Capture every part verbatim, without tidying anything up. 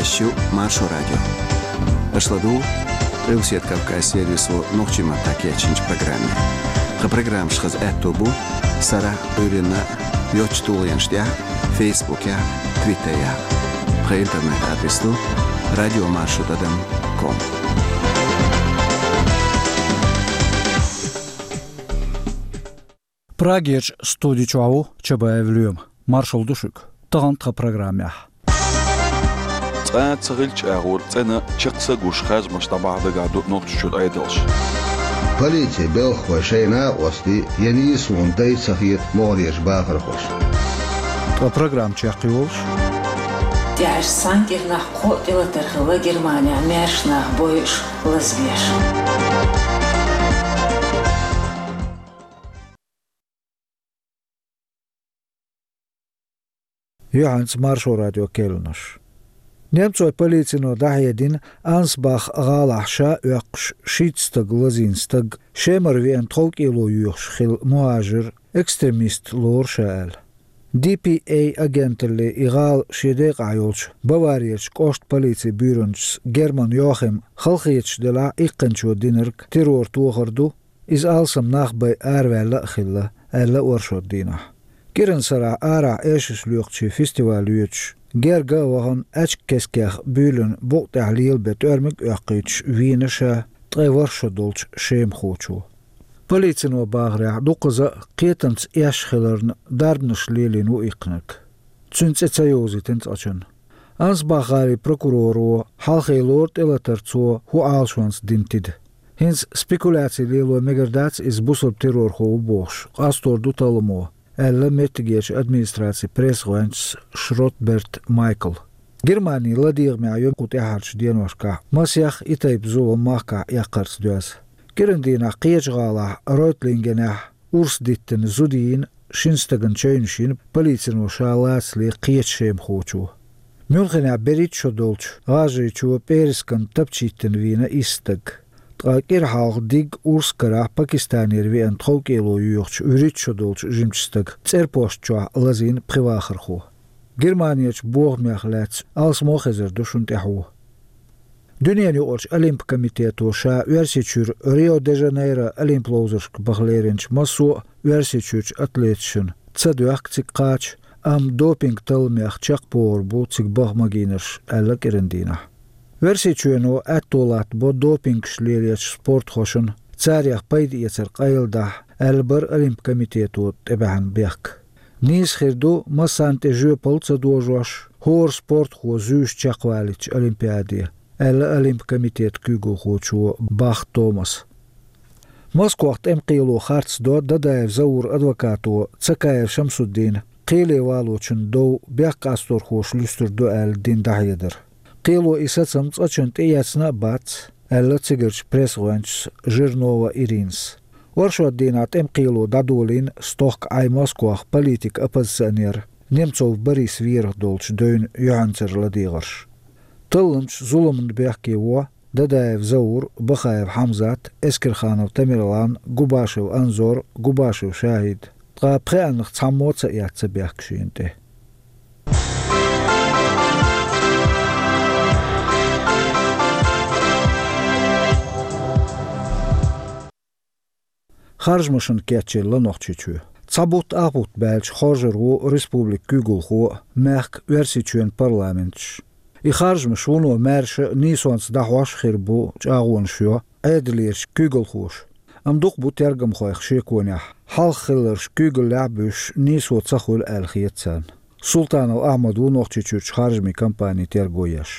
Шо Маршо радио. Аша ладугӀу Къилбаседа Кавказ сервисо нохчийн маттахь кечйинчу программе. Тхан программаш хаза аьтто бу сарахь а, Ӏуьйранна а йоцачу тулгӀенаш тӀехь а, Фейсбукехь а, Твиттерехь а. Тхан интернет-адрес ду радио маршо тӀадам ком. Прагерчу студи чохь ву Чабаев Лоьма. Маршалла ду шуьга. Тахана тхан программехь. Цкъа а ца хилча агӀор цӀена чекх са гуш харжамаш дӀабахьа дагахь ду Нохчийчуьра Ӏедалш. Полицин белхахой шайна а къосте, я нийса ву дай ца хета могӀарерчу бахархоша. Ткъа программа чекхйолуш. ТӀаьхьарчу цхьана кӀирнахь кхоъ тӀелатар хилла Германехь маьрша нах бойуш, лазабеш. Юьхьанца Маршо радион керланаш. Немцойн полицино дӀахьедина Ансбах гӀалахь ша а оьккхуш шийтта стаг лазийна стаг, Шемара веана тховкӀело йоьхуш хилла мухӀажир, экстремист лору ша аьлла. Ди Пи Эй агенталле и гӀала шен декъахь йолчу Баварерчу кӀоштан полицин буьйранчас Герман Йохим халахеташ делахь а иккхинчо динарг террор тохар ду, иза алсам нах бен араваьлла а хилла, аьлла оршот дийнахь. КӀиран сарахь арахь эшарш лоькхучийн фестиваль йоьдуш, герга а вахана, аьчка кескех буьйлина букъа тӀехь лела бен тӀоьрмиг а оьккхуьйтуш вийна ша ткъе ворхӀ шо долчу шемахочо. Полицино бахарехь, дукхаза а кхетамца эшна хиларна дарбанаш лелийна ву иккхинарг. Цуьнан цӀе ца йовзийтина цкъачунна. Ансбах-гӀалин прокуроро хьалхе лору тӀелатар цо хӀун Ӏалашонца дина тида. ХӀинца спекуляци лело мегар дац иза бусалба террорхо ву бохуш, къастор ду талламо, аьлла меттигерчу администрацин пресс-гӀоьнчас Шротберт Майкла. Германин ладегӀамехь ю кху тӀаьхьарчу деношкахь масех и тайпа зулам махкахь эккхарца доьзна. КӀиран дийнахь кхечу гӀалахь Ройтлингенехь урс диттина зуда йийна, шина стагана чевнаш йина полицино ша лацале кхечу шемахочо. Мюнхенехь берхӀитта шо долчу гӀажарийчо пӀераскан тапча йиттина вийна исс стаг. Ткъа кӀира хьалха диг урс карахь Пакистанера веана тховкӀело йоьхучу вуьрхӀитта шо долчу жимачу стага цӀерпошт чохь лазийна пхи вахархо. Германерчу бохамех лаьцна алсамо хезар ду шуна тӀаьхьо. Дуьненан юкъарчу Олимпан комитето ша Оьрсийчуьра Рио-де-Жанейро Олимп ловзаршка баха леринчу массо а Оьрсийчуьрчу атлеташна ца доьхку цига кхача, амма допинг талламех чекхбохур бу цига баха магийнарш, аьлла кӀиран дийнахь. Оьрсийчоьно аьтто латтабо допингаш лелочу спортхошна царех пайда эцар къайладахьа, аьлла бара Олимпан комитето тӀебаьхьна бехк. Нийса хир ду, массарна тӀе жоьпалла ца дожош, хӀора спортхо зуьйш чекхвалийча Олимпиаде, аьлла Олимпан комитетан куьйгалхочо Бах Томаса. Москвахь тӀеман кхело харцдо Дадаев Зауран адвокато Цакаев Шамсуддина кхеле валочун дов бехк къасторхоша луьстур ду аьлла дина дӀахьедар. Кхело и сацам цкъачунна тӀеэцна а бац, аьлла цигарчу пресс-гӀоьнчас Жирнова Иринас. Оршот дийнахь тӀеман кхело дӀадолийна стохка Ӏай Москвахь политик-оппозиционер Немцов Борис верах долчу девнан юьхьанцара ладегӀарш. Талламчу зуламна бехке во Дадаев Заур, Бахаев Хьамзат, Эскерханов Тамерлан, Губашев Анзор, Губашев ШахӀид. Ткъа пхеаннах цхьаммо а ца эцна бехк шена тӀе. Харжамашна кечъелла Нохчийчоь. Цхьа бутт ах бутт баьлча хоржур ву республикан куьйгалхо а, мехкан, Оьрсийчоьнан парламенташ. И харжамаш вуно маьрша а, нийсонца дӀахьош а хир бу чӀагӀонаш йо Ӏедалерчу куьйгалхоша. Амма дукха бу тергамхойх шеконехь, хьалха хилларш куьйгаллехь а буьсуш, нийсо ца хуьлу аьлла хета царна. Султанов Ахьмад ву Нохчийчуьрчу харжамийн компанин терго еш.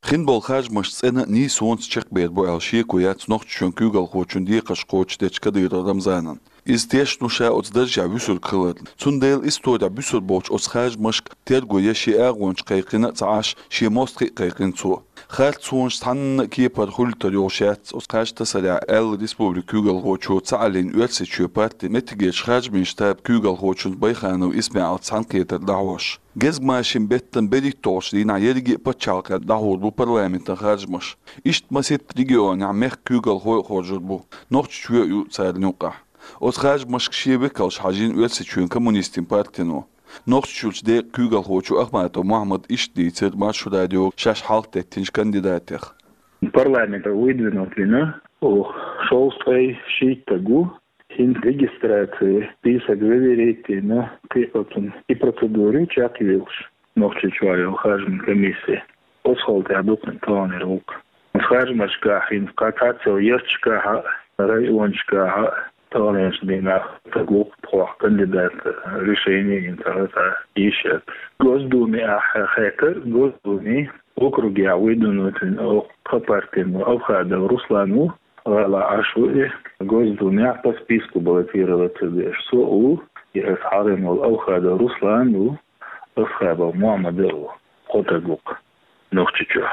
Хин болу харжамаш цӀена а, нийсонца чекхбер бу аьлла шеко яц Нохчийчоьнан куьйгалхочун декхарш кхочушдечу Кадыров Рамзанан. Иза тешна ву ша оцу даржехь вуьсург хиларна. Цундела исторехь буьсур болчу оцу харжамашка терго еш шен агӀончаш кхайкхина а ца Ӏаш, шен мостагӀий а кхайкхина цо. Харцонаш цхьанна а кепара хуьлуьйтур йолуш яц оцу кхаж тасарехь, аьлла республикан куьйгалхочо ца Ӏалийна Оьрсийчоьнан партин меттигерчу харжамийн штабан куьйгалхочун Байханов ИсмаӀилца цхьаьнакхетар дӀахьош. Гезгмашин беттан берхӀитталгӀачу дийнахь ерриге а пачхьалкхехь дӀахьур бу парламентан харжамаш. Иштта масийтта регионехь мехкан куьйгалхой а хоржур бу, Нохчийчоь а ю царна юкъахь. Оцу харжамашка шен векалш хьажийна Оьрсийчоьнан коммунистийн партино. Нохчийчуьрчу декъан куьйгалхочо Ахматов Мухьаммада иштта дийцира Маршо радиога шаьш хьалхатеттинчу кандидатех. Парламентера выдвинуть вина, оха шовзткъе шийтта стаг ву, хӀинца регистрацин список заверить йина, кхин оцунна и процедура ю чекхйоьлуш, Нохчийчохь йолу харжамийн комисси. Оцу хала тӀехь дукха таханлера ву-кх. Харжамашкахь хӀинца кхин цхьацца йолу ярташкахь а, районашкахь а таханлерчу дийнахь стаг ву-кх тхох кандидат, решение йина цара цхьа йиш яц. Госдуме ахь хеттара, Госдуме округехь выдвинуть вина оха тхан партин ву, Авхадов Руслан ву, гӀалахь Ӏаш ву и. Госдумехь по списку баллотироваться деш со а ву, и аса хьалха волу Авхадов Руслан а ву, Асхабов Мухьаммад а ву. Кхо стаг ву-кх Нохчийчохь.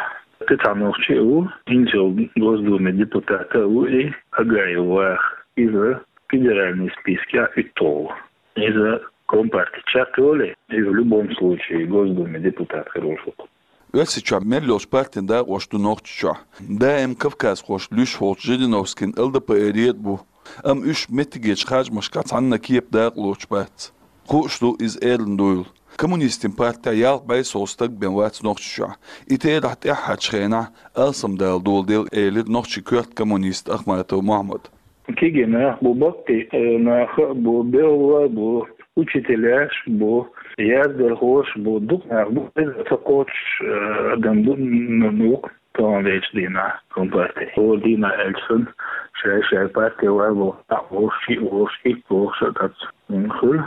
Кхин цхьа нохчи а ву, хӀинца йолу Госдуме депутат а ву и, Агаев Ваха. Иза федеральный спискехь уьтталгӀа ву. Иза компарти чекхйолий, иза в любом случае Госдуме депутат хир волуш ву-кх. Оьрсийчохь мел йолчу партийн дакъош ду Нохчийчохь. Даим кавказхошна луьйш волчу Жириновскийна ЛДПРера а бу. Амма уьш меттигерчу харжамашкахь цхьанна кепа дакъа лоцуш бац. Хууш ду иза эрна дуйла. Коммунистийн партехь ялх бӀе сов стаг бен вац Нохчийчохь. И терахь тӀаьххьарчу хенахь алсамдала доладелла, элира нохчийн коьрта коммуниста Ахматов Мухьаммада. Кегий нах бу, баккхий, э, нах а бу, белхалой а бу, учителяш а бу, яздархоша а бу, дукха нах бу, иза ца кхочуш, э, адам ду, н-, н-, ву-кх таханлерчу дийнахь компарти. ХӀора дийнахь аьлча санна, шай-шай парти вай вовшах, вовшах, шиъ вовшах, итт вовшах а дац, м, хуьлу.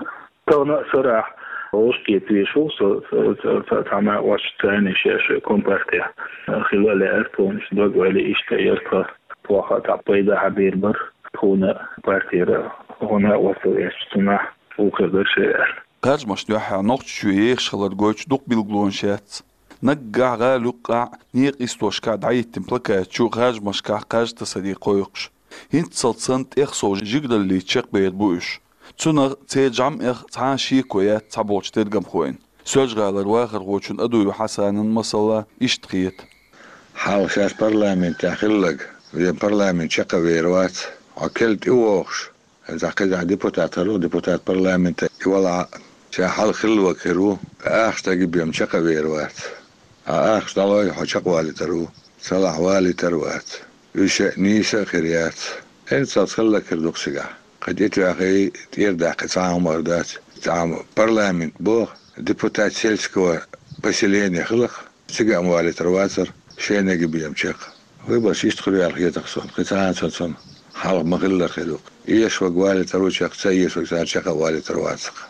Тахана а сарахь вовшахкхета везаш ву со, со, со, со, цхьа накъост царна шаьш компартехь хила а лаьара, тхуна иштта дог-ойла иштта яра, тхан тхох а цхьа пайда хьабийр бара, тхуна партера, хӀунда а вацал эцча цунах вукхуьр дара шайн аьлла. Харжамашна юьххьехь Нохчийчоь ехаш хилар гойтуш дукха билгалонаш яц. Наггахь, гӀала юккъехь, некъан йистошкахь дӀахӀиттина плакаташ ю харжамашкахь кхаж тасарий кхойкхуш. ХӀинццалц санна тӀех сов жигараллица чекхбер бу уьш. Цунах церан жамӀех цхьа а шеко яц цхьаболчу тергамхойн. Соьлжа-ГӀалара вахархочун Адуев Хьасанан, масала, иштта хета. Хьалха шаьш парламентехь хилларг, вен парламент чекхвер вац, хьо керла тӀевогӀуш, хӀинца кхидӀа депутат хир ву, депутат парламента и валахь а, ша хьалха хилларг хир ву, ахча стаге бен чекхвер вац. Ахча дӀалой, хьо чекхвалийтар ву, ца лахь валийтар а вац. Уьш а нийса а хир яц. ХӀинццалц хилларг хир ду-кх цигахь. Кхин тӀетоьхий, тӀера даккхий цхьа а хӀума дацахь, цхьа а парламент боху, депутат сельского поселения хиларх, цига а валийтар вацара, шайниг бен чекх. Выбораш иштта хуьлу аьлла хета-кх суна, кхин цхьа а ца цунна, хьалха ма-хиллара хир ю-кх. Эшарг валийтар ву чекх, ца эшарг цара чекх а валийтар вацахь.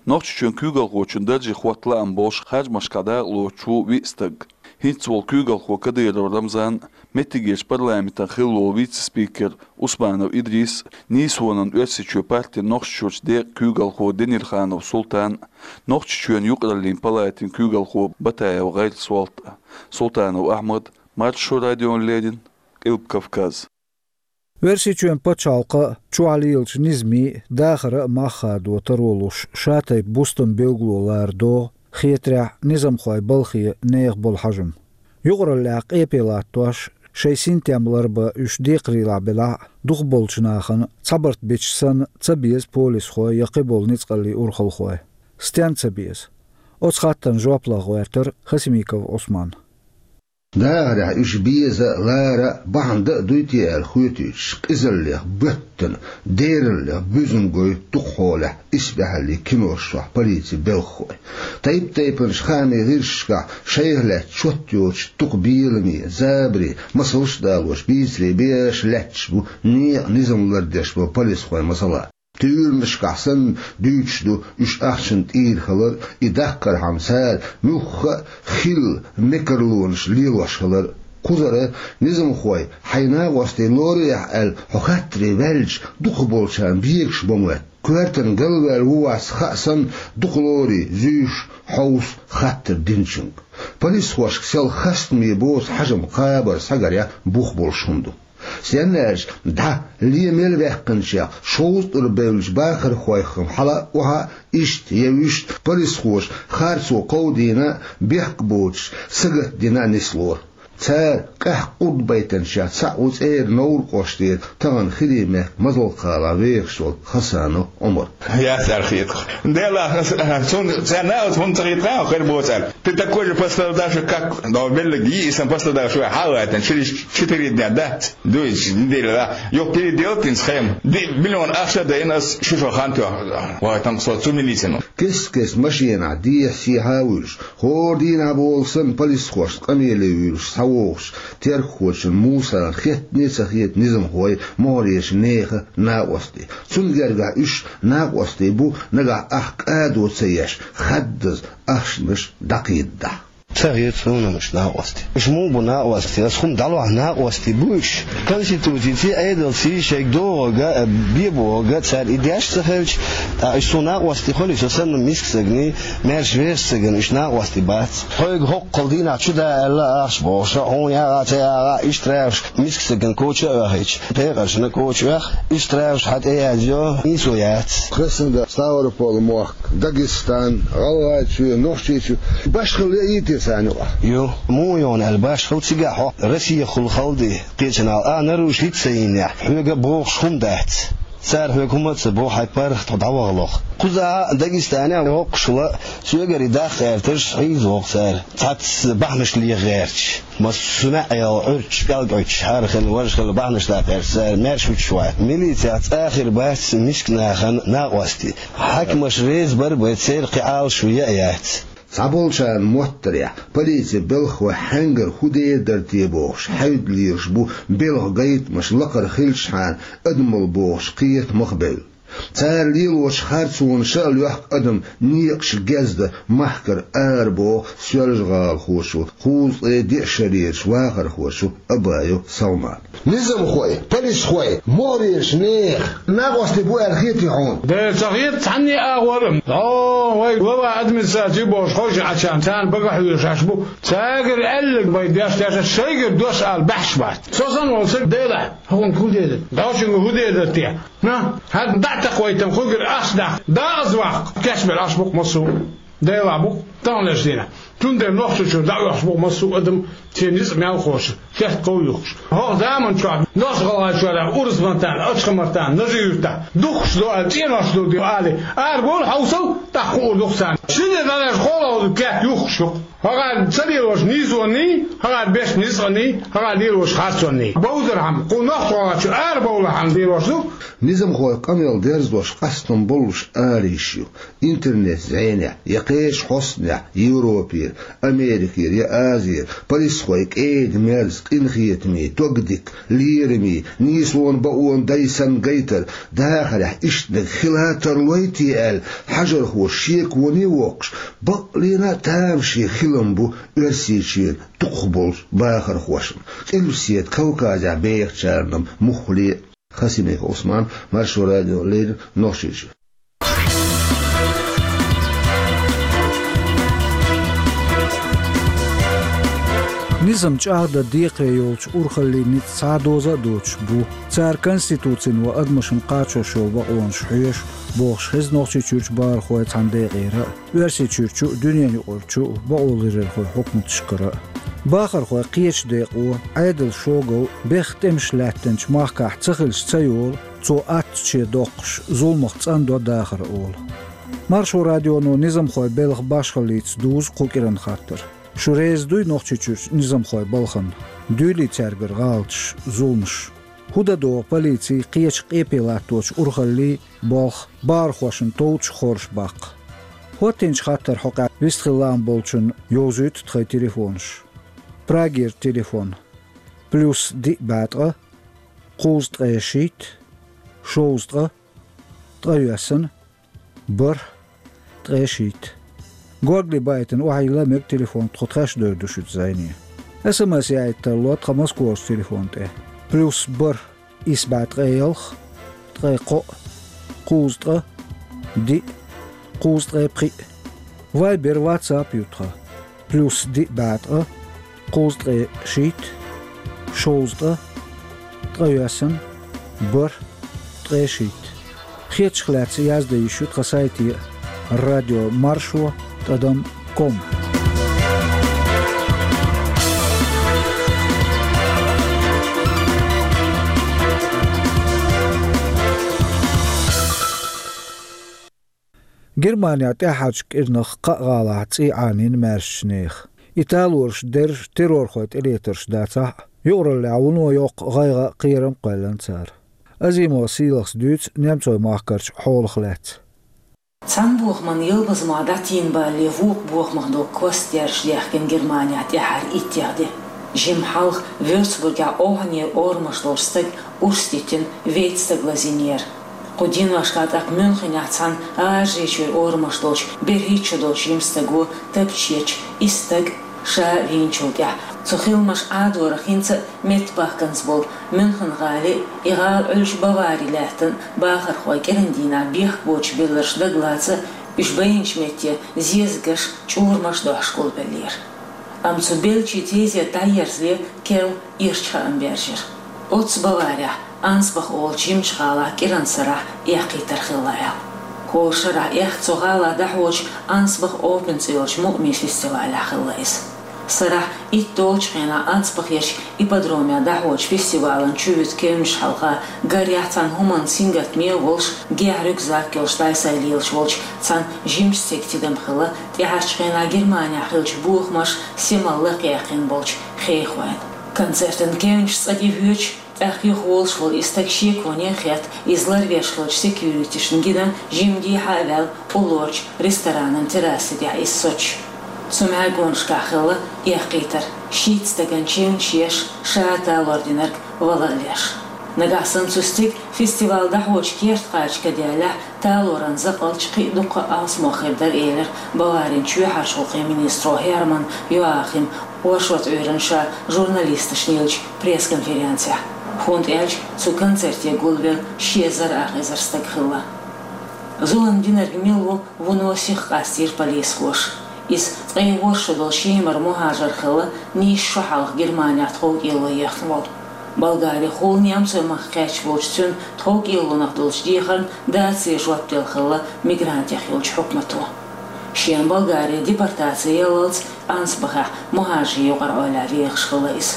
Нохчийчоьнан куьйгалхочун даржехь хӀотта лаам болуш харжамашкахь дакъа лоцуш ву виъ стаг. ХӀинца волу куьйгалхо Кадыров Рамзан, меттигерчу парламентан хилла волу вице-спикер Усманов Идрис, нийсонан Оьрсийчоь партин Нохчийчуьрчу декъан куьйгалхо Денирханов Султан, Нохчийчоьнан юкъараллин палатин куьйгалхо Батаев ГӀайрасолта, Султанов Ахьмад, Маршо радиона леррина, Къилба Кавказ. Оьрсийчоьнан пачхьалкхан чохь лелачу низамийн, дахаран а мах хадо таро луш, шатайпа бустам билгало лара догӀу, хетарехь, низамхойн балхе нехан болу хьажам. Юкъараллехь къепе латтош, шайн синтем ларбан уьш декхарийлахь белахь а, дукхахболчу нахана цхьа барт бича санна ца беза полисхой я кхиболу ницкъаллийн урхалхой. Стенна ца беза? Оцу хаттарна жоп лан гӀоьртира Хасимиков Ӏусман. Дахарехь уьш беза а, лара а, бахьана дан а дуй те аьлла хоьтуьйтуш, къизаллех боьттина, дераллех буьзна гойту дукхахьолехь исбаьхьаллин кинош чохь полицин белхахой. Тайп-тайпанчу хаамийн гӀирсашкахь шайх лаьцна чот йоцуш дукха беламе, забаре, масалш а далош, бийцаре беш лаьтташ бу некъан низам лардеш болу полисхой, масала. Туьйранашкахь санна дуьйцуш ду уьш ахчана тӀера хилар, и даккхархьама цара муьлхха а хилла мекарлонаш лелош хилар. Кхузара низамхой хьайн накъостий лораяхь аьлла хьо хаттаре ваьлча, дукхахболчарна бегаш бан моьтту. Коьртана галваьлла ву-вац хаа санна, дукха лорий зуьйш хьовса хаттар динчуьнга. Полисхошка сел хастаме боцу хьажам кхабар схьагарехь бух болуш хӀума ду. Стенна аьлча, дӀа лен мел ваьккхинчех шовзткъа тӀур бевллачу бахархойх-м хьала а, охьа а, иштта я вуьшта полисхоша харцо кховдийна а, бехк боцуш сагатдина а нислора. Цара къаьхьа къурд байтанча цхьаъ ву цӀера Новр кӀоштера тахана хилий мехка Мазалкхала вехаш волу Хасанов Ӏумар. Яц аьлла хеташ. Делахь ас, а, цунна царна а оцу хӀунда ца хетахь а хир боцу аьлла. Ты такой же пострадавший, как, но, беллиг йиъ исан пострадавший вай хьалаайтина, через четыре дня, да? Дуьйцу неделя, да? Юха переделать йина схема. Ди-, миллион ахча а дайна ас шу шо хан тоьхна. Вай, там, со цу милицину. Кест-кест машенахь дехьа-сехьа а вуьйлуш, хӀора дийнахь болу санна полисхошна къамеле вуьйлуш схьавогӀуш, теркахочун Мусана хеттане а ца хета низамхой могӀарерчу нехан накъостий. Цунна гергахь уьш накъостий бу, нагахь ах кӀадо ца еш, хаддаза ахчанаш дӀакхийдадахь. Ца хета суна уьш накъостий. Уьш муха бу накъостий? Ас хӀума дӀалохь накъостий бу уьш. Конституцица, Ӏедалца шайга догӀург а, бен бохург а цара и деш ца хилча, ткъа уьш суна накъостий хуьлий, со санна миска стагний, маьрша вешан стагана уьш накъостий бац. Хьоьга хӀоккхул дийнахь чу да аьлла ахча бохуш, хьуна яхьа а, ца яхьа а, иштта рагӀуш миска стагана коча а оьхуьйтуш, пекъаршна коча оьху, иштта рагӀуш хьан тӀе язйо, нийсо яц. Хеснга Ставрополь мохк, Дагестан, ГӀалгӀайчоь, Нохчийчоь, башхалла яйта царна юкъахь? Ю, муха йогӀу аьлла башхалла цигахь хьо, Россехула хала ди, кхечанхьа а нарушить ца йинехь, хьоьга а бохуш хӀума дац. Цара хьоьга хӀума а ца боху, хьайн паргӀат хьо дӀавахалахь. Кхузахь а Дагестанехь воккхуш вала, соьгара и даккха гӀерташ хьийза воху цара, цхьацца бахьанаш леха гӀерташ. Массо а маьӀӀел Ӏуьрташ, кӀелг Ӏуьттуш, хӀара хилла, важа хилла бахьанаш даккха гӀерташ, цара маьрша вуьтуш вац. Милицех цкъа а хир бац миска нахана накъостий. Хьаькамаш реза бара бен церан кхин Ӏалашо яа яц. Цхьаболчарна моттарехь, полицин белхахой хьаьнгара хӀун дер дара те бохуш, хьаьвда лелаш бу белхан гайтамаш лакхара хилчхьана адамалла бохуш кхета мах бевлла. Цара лелочу харцонна ша а лоьхку адам некъаш гезда махкара арабоху соьлжагӀалахоша, кхузткъе диъ шарерачу вахархоша Абаев Салмана. Низамхой, полисхой, могӀарерчу нехан накъостий бу аьлла хетий хьуна? Де, ца хета цхьанне а агӀор. О, вай глава администрации бохуш ховший Ӏачарна, царна багахь вуьйлуш Ӏаш бу. Цаьгара аьлларг вай деш-деш, шайгара дош ала баьхьаш бац. Со санна волу стаг, Делахь, хӀокхуьнга хӀун дер дара? Дашинга хӀун дер дара те? На, хӀара дӀа а такхавайтам, хӀугара ахча даккха, дакъаза ваккха, кечбер Ӏаш бу-кх массо а. Делахь бу-кх, таханлерчу дийнахь. Цундела Нохчийчуьра дӀаоьхуш бу-кх массо а адам, церан ницкъ мелхоша, шаьш кховъюхкуш. ХӀокху заман чохь Нохч-ГӀалгӀайчохь, Урус-Мартана, Ачха-Мартана, Нажи-Юьртахь духкуш ду аьлла, цӀенош ду аьлла, арабовла, хьовсал, тӀаккха хуур ду-кх царна. Ши де дӀадерш кхоалгӀа ду кет юхкуш ю-кх. ХӀокхара ца лелош нийсонний, хӀокхара беш ницкъанний, хӀокхара лелош харцонний. Бовзархьама, кху Нохч-ГӀалгӀайчуьра арабовлахьама лелош ду. Низамхойн къамел дерзадеш къастам боллуш ара йиш ю. Интернет зӀенехь, я кхечу хьостанехь, Европера, Америкера, я Азера, полисхой кӀеда-мерза, къинхетаме, догдика, лераме, нийсонан бакъонан дай санна гайтар, дахарехь иштаниг хила тарлой те аьлла, хьажархоша шеконе а воккхуш, баккъалла а тамаше хилам бу Оьрсийчоьнан дукхахболчу бахархошна, Къилбаседа Кавказехь бехачарна муххале а. Хасимиков Ӏусман, Маршо радиона леррина, Нохчийчуьра. Низам чӀагӀдан декхаре йолчу урхаллийн ницкъ цхьа а доза а доцуш бу. Цара конституцина ва адамашна кхачош йолу бакъонаш хьоьшу, бохуш хеза Нохчийчуьрчу бахархойн цхьана декъера а, Оьрсийчуьрчу а, дуьненан юкъарчу а бакъоларъярхойн хьукматашкара а. Бахархой кхечу декъо, Ӏедалан шогал, бехк тӀемаш лаьттинчу махкахь ца хилча ца йолу, цо аттачу доккхуш, зуламах цӀандо дахар олу. Маршо радионо низамхойн белхан башхаллица дузу кху кӀиран хаттар. Шу реза дуй Нохчийчуьрчу низамхойн балхана? Дуьйлий цаьргара гӀалаташ, зуламаш? ХӀун дан догӀу полицин кхечу къепе латточу урхаллийн болх бахархошна товчу хорша баккха? ХӀоттинчу хаттаран хьокъехь вистхила лаам болчунна йовзуьйту тхайн телефонаш. Прагера телефон: плюс диъ бӀе ткъа, кхузткъе шийтта, шовзткъа, ткъайоьсна, бархӀ, ткъе шийтта. Горгали байтина охьайилла мега телефон, тхо тхаьш а довр ду шуьца зӀене. СМС яийта тарло тхан Москохарчу телефон тӀе: плюс бархӀ, исс бӀе ткъе ялх, ткъе кхоъ, кхузткъа, диъ, кхузткъе пхиъ. Вайбер, WhatsApp ю тхан: плюс диъ бӀе ткъа, кхузткъе шийтта, шовзткъа, ткъайоьсна, бархӀ, ткъе шийтта. Хетачух лаьцна яздан йиш ю тхан сайте: радио маршо тӀадам ком. Германехь тӀаьххьарчу кӀирнах кхаа гӀалахь цӀий Ӏанийна маьршачу нехан. И талораш дерш террорхойн тӀелетарш дацахь а, юкъараллехь вуно йоккха гӀайгӀа а, кхерам а кхоьллина цара. Азимова Сийлахас дуьйцу немцойн махкарчу хьолах лаьцна. Цхьана бохаман ялбаза мах дӀатийна балале, вукху бохамах долу кост дерш дехкина Германехь тӀаьххьара иттех де. Жимма хьалха Вёрцбургехь охьанера орамаш долчу стага урс диттина вейтта стаг лазийнера. Кху деношкахь тӀаккха Мюнхенехь цхьана гӀажарийчуьра орамаш долчу берхӀитта шо долчу жима стаго тапча ечу исс стаг ша а вийначул тӀаьхьа. Цу хиламаш Ӏадорах хӀинца а меттабахканза болу Мюнхен-гӀали, и гӀала Ӏуьллучу Бавари лаьттина бахархой кӀиран дийнахь бехк боцуш белларш дагалаца, уьш байинчу метте зезагаш, чӀурамаш дохьуш гулбеллера. Амма цу беллачийн тезет дӀаерзале, керла ирча хаам баьржира. Оццу Баварехь, Ансбах олучу жимачу гӀалахь кӀиран сарахь эккхийтар хилла аьлла. ХӀора шарахь эккха цу гӀалахь дӀахьочу Ансбах Опен цӀе йолчу мукъамийн фестивалехь хилла иза. Сарахь итт долчу хенахь Ансбахерчу ипподромехь дӀахьочу фестивалан чувуьту кевнаш хьалха гарехь цхьана хӀуманна сингаттаме а волуш, гехь рюкзак йолуш дӀай-схьай лелаш волчу цхьана жимачу стеган тидам хилла, тӀаьхьарчу хенахь Германехь хиллачу бохамаша симал лакхаяьккхина болчу хехойн. Концертан кевнаш цӀа тӀе воьдуш, тӀаккха юхаволуш волу и стаг шеконе а хетта, иза ларвеш хиллачу секьюритишна гина, жимма дехьа а ваьлла, уллорчу ресторанан терраса тӀехь иза соцуш. Цу мӀаьргонашкахь хилла эккхийтар, шийтта стагана чевнаш еш, ша талор динарг вала а леш. Нагахь санна цу стеган фестиваль дӀахьочу керта кхача каделлехь, талоран закъалчу кхин а дуккха а алсамох хир дара, элира Баварин чоьхьарчу гӀуллакхийн министро Херман Йоахим оршот Ӏуьйранна ша журналисташна еллачу пресс-конференцехь, хӀунда аьлча цу концерте гулвелла ши эзар ах эзар стаг хилла. Зулам динарг мила ву, вуно сиха къастийра полисхоша. Иза ткъе ворхӀ шо долу шемара мухӀажар хилла, нийсса шо хьалха Германехь тховкӀело ехна волу. Болгарехула немцойн махка кхаьчна волчу цуьнан тховкӀелонах долчу дехарна дацаре жоп делла хилла мигрантех йолчу хьукмато. Шена Болгаре депортаци яллалц Ансбахехь мухӀажарийн юкъара Ӏойла вехаш хилла иза.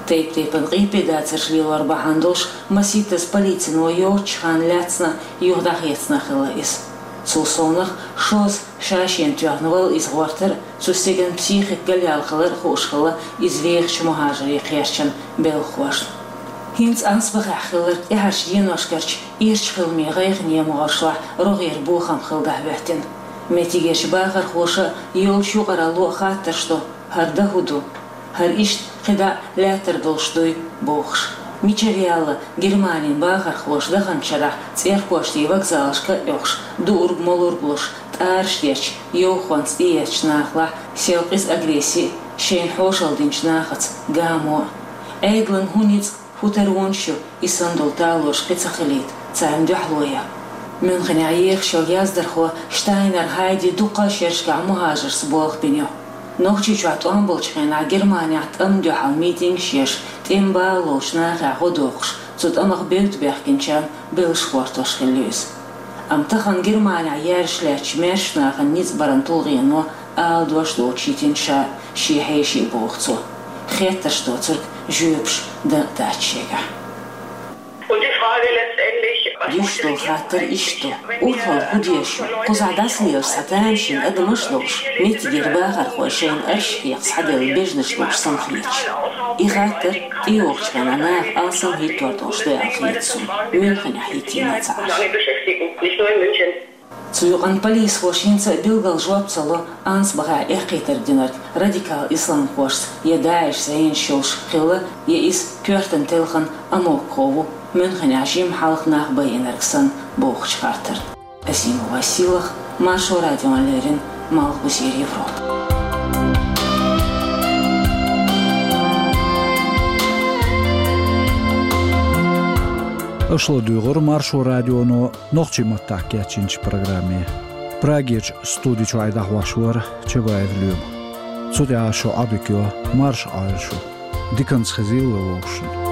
Тайп-тайпана къепедацарш лелор бахьана долуш масийттаза полицино йоццучу ханна лаьцна а, юха дӀахецна а хилла иза. Цул совнаха шозза ша-шена тоьхна вала иза гӀортар а, цу стеган психика галъяьлла хилар а хууш хилла иза вехачу мухӀажарийн кхерчан белхахошна. ХӀинца Ансбахехь хилларг тӀаьхьарчу деношкарчу ирча хиламийн гӀайгӀане могӀаршлахь рогӀера бохам хилла дӀахӀоьттина. Меттигерчу бахархоша а, йолчу юкъаралло а хаттарш до: хӀара дан хӀун ду? ХӀара иштта кхидӀа а лаьттар долуш дуй? — бохуш. Мичара яьлла Германин бахархоша даханчу шарахь цӀерпоштийн вокзалашка а оьхуш, дуур-молур а луш, тӀараш детташ, йовхонца тӀеэцначу нахалахь сел къиза агресси а, шайна хьошалла динчу нахаца гамо а? Ӏедалан хӀун ницкъ, хӀун таронаш ю и санна долу талораш кхин ца хилийта, царна дуьхьало ян? Мюнхенехь ехаш йолу яздархо Штайнер Хайди дуккха а шерашкахь мухӀажаршца болх бина ю. Нохчийчохь тӀом болчу хенахь Германехь тӀамна дуьхьал митингаш еш, тӀеман бала ловчу нахехь гӀо доккхуш, цу тӀамах бевдда баьхкинчарна беллаш гӀортош хилла ю иза. Амма тахана Германехь яьржаш лаьттачу маьршачу нахана ницкъ баран тулгӀено ала дош доцуш йитина ша шен хьеший, боху цо. Хеттарш доцург жоьпаш дан а дац шегахь. Деш долу хаттар иштта ду: урхалла хӀун деза шуна? Кхузахь дӀасалелаш цхьа тамашийна адамаш а долуш, меттигера бахархой шайна арш хьекха схьаделла бежнаш долуш санна хеташ. И хаттар тӀейогӀучу хенахь наха алсам хӀиттор долуш ду аьлла хета суна, Мюнхенехь хӀиттийна а ца Ӏаш. Цу юкъанна полисхоша хӀинца а билггал жоп ца ло Ансбахехь эккхийтарг динарг радикал исламхошца я ДАИШ зӀенаш йолуш хилла, я иза коьртана телхина амоккхо ву, Мюнхенехь жимма хьалха нах байинарг санна, бохучу хаттарна. Азимова Сийлаха, Маршо радиона леррина, Малхбузера Европа. Аша ладуьйгӀира Маршо радионо нохчийн маттахь кечйинчу программе. Прагерчу студи чуьра дӀахьош вара Чабаев Лоьма. Цу тӀехь шун Ӏадика йо, марша Ӏойла шу. Диканца хезийла вовшашна.